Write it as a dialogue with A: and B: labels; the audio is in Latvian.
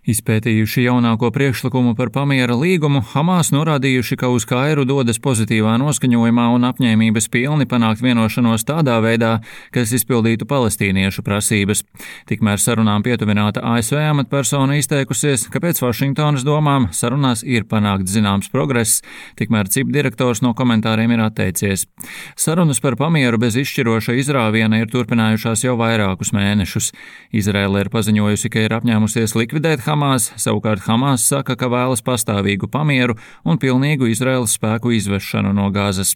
A: Izpētījuši jaunāko priekšlikumu par pamiera līgumu, Hamas norādījuši, ka uz Kairu dodas pozitīvā noskaņojumā un apņēmības pilni panākt vienošanos tādā veidā, kas izpildītu palestīniešu prasības. Tikmēr sarunām pietuvināta ASV amatpersona izteikusies, ka pēc Vašingtonas domām sarunās ir panākts zināms progress, tikmēr CIP direktors no komentāriem ir atteicies. Sarunas par pamieru bez izšķiroša izrāviena ir turpinājušās jau vairākus mēnešus. Izraēla ir paziņojusi, ka ir apņēmusies likvidēt Hamas, savukārt Hamas saka, ka vēlas pastāvīgu pamieru un pilnīgu Izraēlas spēku izvešanu no Gazas.